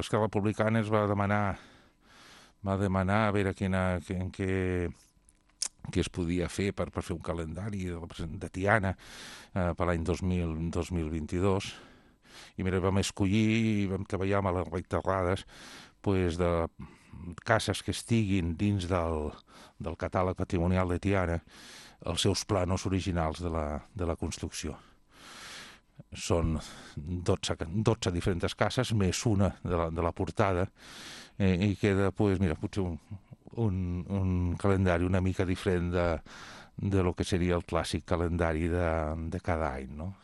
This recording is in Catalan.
Esquerra Republicana es va demanar a veure què es podia fer per fer un calendari de Tiana per l'any 2022. I mira, vam escollir i vam treballar amb les reiterrades pues, de cases que estiguin dins del catàleg patrimonial de Tiana els seus planos originals de la construcció. Són 12 diferents cases, més una de la portada, i queda, pues, mira, potser un calendari una mica diferent de lo que seria el clàssic calendari de cada any, no?